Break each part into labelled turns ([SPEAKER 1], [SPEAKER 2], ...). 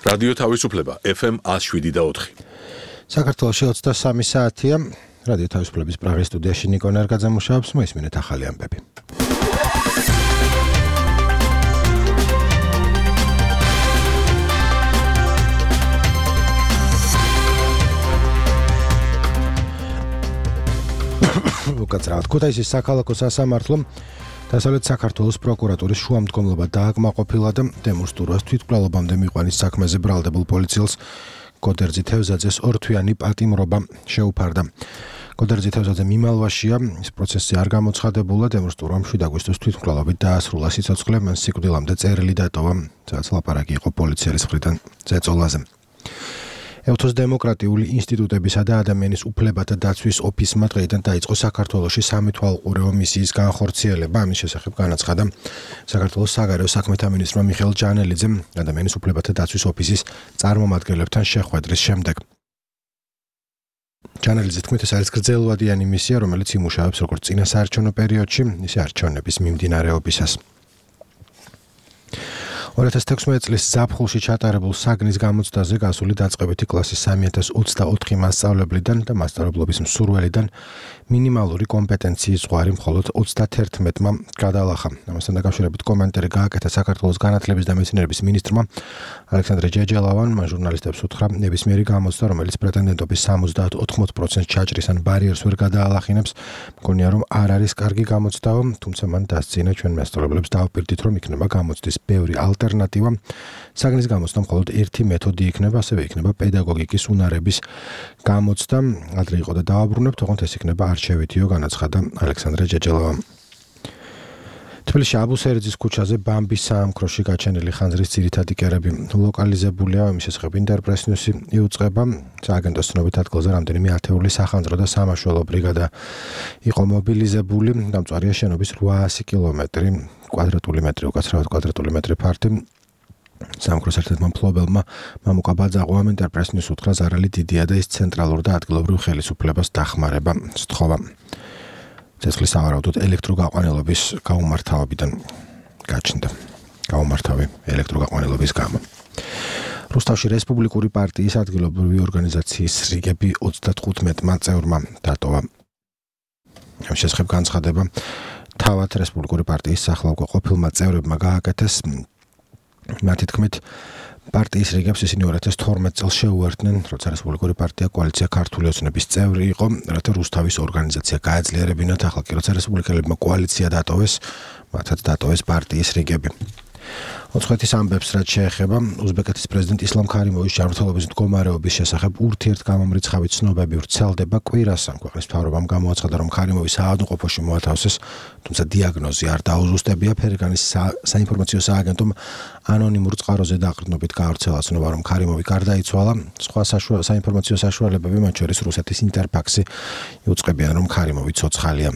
[SPEAKER 1] რადიო თავისუფლება FM 107.4.
[SPEAKER 2] საქართველოში 23 საათია. რადიო თავისუფლების პრაღის სტუდიაში ნიკო ნერგაძე მუშაობს, მოისმინეთ ახალი ამბები. უკაცრავად ქუთაისის საქალაქო სასამართლომ დასავლეთ საქართველოს პროკურატურის შუამდგომლობა დააკმაყოფილა და დემურ სტურვას თვითმკვლელობამდე მიყვანის საქმეზე ბრალდებულ პოლიციელს გოდერძი თევზაძეს ორთვიანი პატიმრობა შეუფარდა. გოდერძი თევზაძე მიმალვაშია, ის პროცესი არ გამოცხადებულა, დემურ სტურვამ 7 აგვისტოს თვითმკვლელობით დაასრულა სიცოცხლე, მან სიკვდილამდე წერილი დატოვა, სადაც ლაპარაკი იყო პოლიციელის მხრიდან ზეწოლაზე. ევთოს დემოკრატიული ინსტიტუტებისა და ადამიანის უფლებათა დაცვის ოფისმა დღეიდან დაიწყო საქართველოში სამეთვალყურეო მისიის განხორციელება. ამის შესახებ განაცხადა საქართველოს საგარეო საქმეთა მინისტრმა მიხეილ ჯანელიძემ ადამიანის უფლებათა დაცვის ოფისის წარმომადგენლებთან შეხვედრის შემდეგ. ჯანელიძის თქმით, ეს არის გრძელვადიანი მისია, რომელიც იმუშავებს როგორც წინა საარჩევნო პერიოდში, ისე არჩევნების მიმდინარეობისას. 2016 წლის ზაფხულში ჩატარებულ საგნის გამოცდაზე გასული დაწყებითი კლასის 3024 მასწავლებლიდან და მასწავლებლობის მსურველიდან მინიმალური კომპეტენციის ზღვარი მხოლოდ 31-მა გადალახა. ამასთან დაკავშირებით კომენტარი გააკეთა საქართველოს განათლების და მეცნიერების მინისტრმა ალექსანდრე ჯეჯელავანმა. ჟურნალისტებს უთხრა, ნებისმიერი გამოცდა, რომელიც პრეტენდენტობის 70-80% ჩაჭრის ან ბარიერს ვერ გადაალახინებს, მგონია რომ არ არის კარგი გამოცდაო, თუმცა მან დასწინა ჩვენ მასწავლებლებს დავუპირდით, რომ იქნება გამოცდის ბევრი ალტერნატივა. საგნის გამოცდა მხოლოდ ერთი მეთოდი იქნება, ასევე იქნება პედაგოგიკის უნარების გამოცდა. ადრე იყო და დავაბრუნებთ, თუმცა ეს იქნება არჩევითიო, განაცხადა ალექსანდრე ჯეჯელავამ. თბილისში აბუსერიძის ქუჩაზე ბამბის საამქროში გაჩენილი ხანძრის ძირითადი კერები ლოკალიზებულია. ამის შესახებ ინტერპრეს ნიუსი იუწყება. სააგენტოს ცნობით ადგილზე რამდენიმე ათეული სახანძრო და სამაშველო ბრიგადა იყო მობილიზებული. დამწვარია შენობის 800 კილომეტრი კვადრატული მეტრი, უკაცრავად კვადრატული მეტრი ფართი. საამქროს ერთ-ერთმა მფლობელმა მამუკა ბაძაღვამ ინტერპრეს ნიუსს უთხრა, ზარალი დიდია და ის ცენტრალურ და ადგილობრივ ხელისუფლებას დახმარება სთხოვა. ცეცხლის სავარაუდოდ ელექტროგაყვანილობის გაუმართავებიდან გაჩნდა. გაუმართავი ელექტროგაყვანილობის გამო. რუსთავში რესპუბლიკური პარტიის ადგილობრივი ორგანიზაციის რიგები 35-მა წევრმა დატოვა. ამის შესახებ განცხადება თავად რესპუბლიკური პარტიის სახალხო ყოფილმა წევრებმა გააკეთეს. მათი თქმით, პარტიის რიგებს ისინი 2012 წელს შეუერთდნენ, როცა რესპუბლიკური პარტია კოალიცია ქართული ოცნების წევრი იყო, რათა რუსთავის ორგანიზაცია გაეძლიერებინათ. ახლა კი როცა რესპუბლიკელებმა კოალიცია დატოვეს, მათაც დატოვეს პარტიის რიგები. ოცხეთის ამბებს რაც შეეხება უზბეკეთის პრეზიდენტ ისლამ ქარიმოვის ჯანმრთელობის მდგომარეობის შესახებ ურთიერთგამომრიცხავი ცნობები ვრცელდება. კვირას ამ ქვეყნის მთავრობამ გამოაცხადა, რომ ქარიმოვი საავადმყოფოში მოათავსეს, თუმცა დიაგნოზი არ დაუზუსტებია. ფერგანის საინფორმაციო სააგენტომ ანონიმურ წყაროზე დაყრდნობით გაავრცელა ცნობა, რომ ქარიმოვი გარდაიცვალა. სხვა საინფორმაციო საშუალებები, მათ შორის რუსეთის ინტერფაქსი, იუწყებიან, რომ ქარიმოვი ცოცხალია.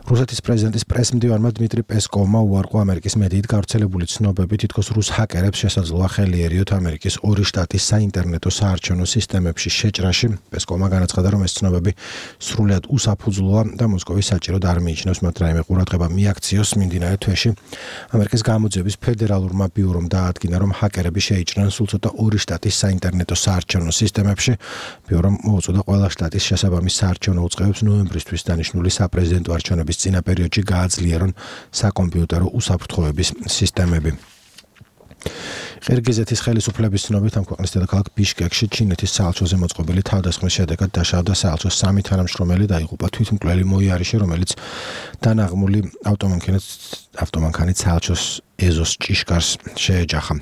[SPEAKER 2] რუსეთის პრეზიდენტის პრესმდივანმა დმიტრი პესკოვმა უარყო ამერიკის მედიით გავრცელებული ცნობები, თითქოს რუს ჰაკერებს შესაძლოა ხელიერიოთ ამერიკის 2 შტატის საინტერნეტო საარჩევნო სისტემებში შეჭრაში. პესკოვმა განაცხადა, რომ ეს ცნობები სრულიად უსაფუძვლოა და მოსკოვის საჭიროდ არ მიიჩნევს მათ რაიმე ყურადღება მიაქციოს. მიმდინარე თვეში ამერიკის გამოძიების ფედერალურმა ბიურომ დაადგინა, რომ ჰაკერები შეიჭრნენ სულ ცოტა 2 შტატის საინტერნეტო საარჩევნო სისტემებში. ბიურომ მოუწოდა ყველა შტატის შესაბამის საარჩევნო უწყებებს ნოემბრისთვის დანიშნული საპრეზიდენტო არჩევნების წინა პერიოდში გააძლიერონ საკომპიუტერო უსაფრთხოების სისტემები. ყირგიზეთის ხელისუფლების ცნობით, ამ ქვეყნის დედაქალაქ ბიშკეკში ჩინეთის საელჩოზე მოწყობილი თავდასხმის შედეგად დაშავდა საელჩოს 3 თანამშრომელი და იღუპა თვითმკვლელი მოიარიში, რომელიც დანაღმული ავტომანქანით საელჩოს ეზოს ჭიშკარს შეეჯახა.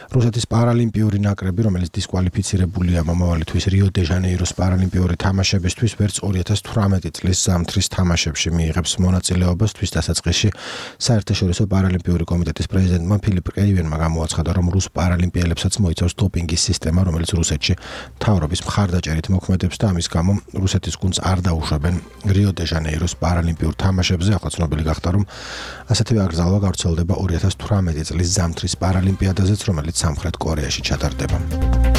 [SPEAKER 2] რუსეთის პარალიმპიური ნაკრები, რომელიც დისკვალიფიცირებულია მომავალი თვის რიო-დე-ჟანეიროს პარალიმპიური თამაშებისთვის, ვერც 2018 წლის ზამთრის თამაშებში მიიღებს მონაწილეობას. თვის დასაწყისში საერთაშორისო პარალიმპიური კომიტეტის პრეზიდენტმა ფილიპ კეივენმა გამოაცხადა, რომ რუს პარალიმპიელებსაც მოიცავს დოპინგის სისტემა, რომელიც რუსეთში მთავრობის მხარდაჭერით მოქმედებს და ამის გამო რუსეთის გუნდს არ დაუშვებენ რიო-დე-ჟანეიროს პარალიმპიურ თამაშებზე. ახლა ცნობილი გახდა, რომ ასეთივე აკრძალვა გავრცელდება 2018 წლის ზამთრის პარალიმპიადაზეც, რომელიც სამხრეთ კორეაში ჩატარდება.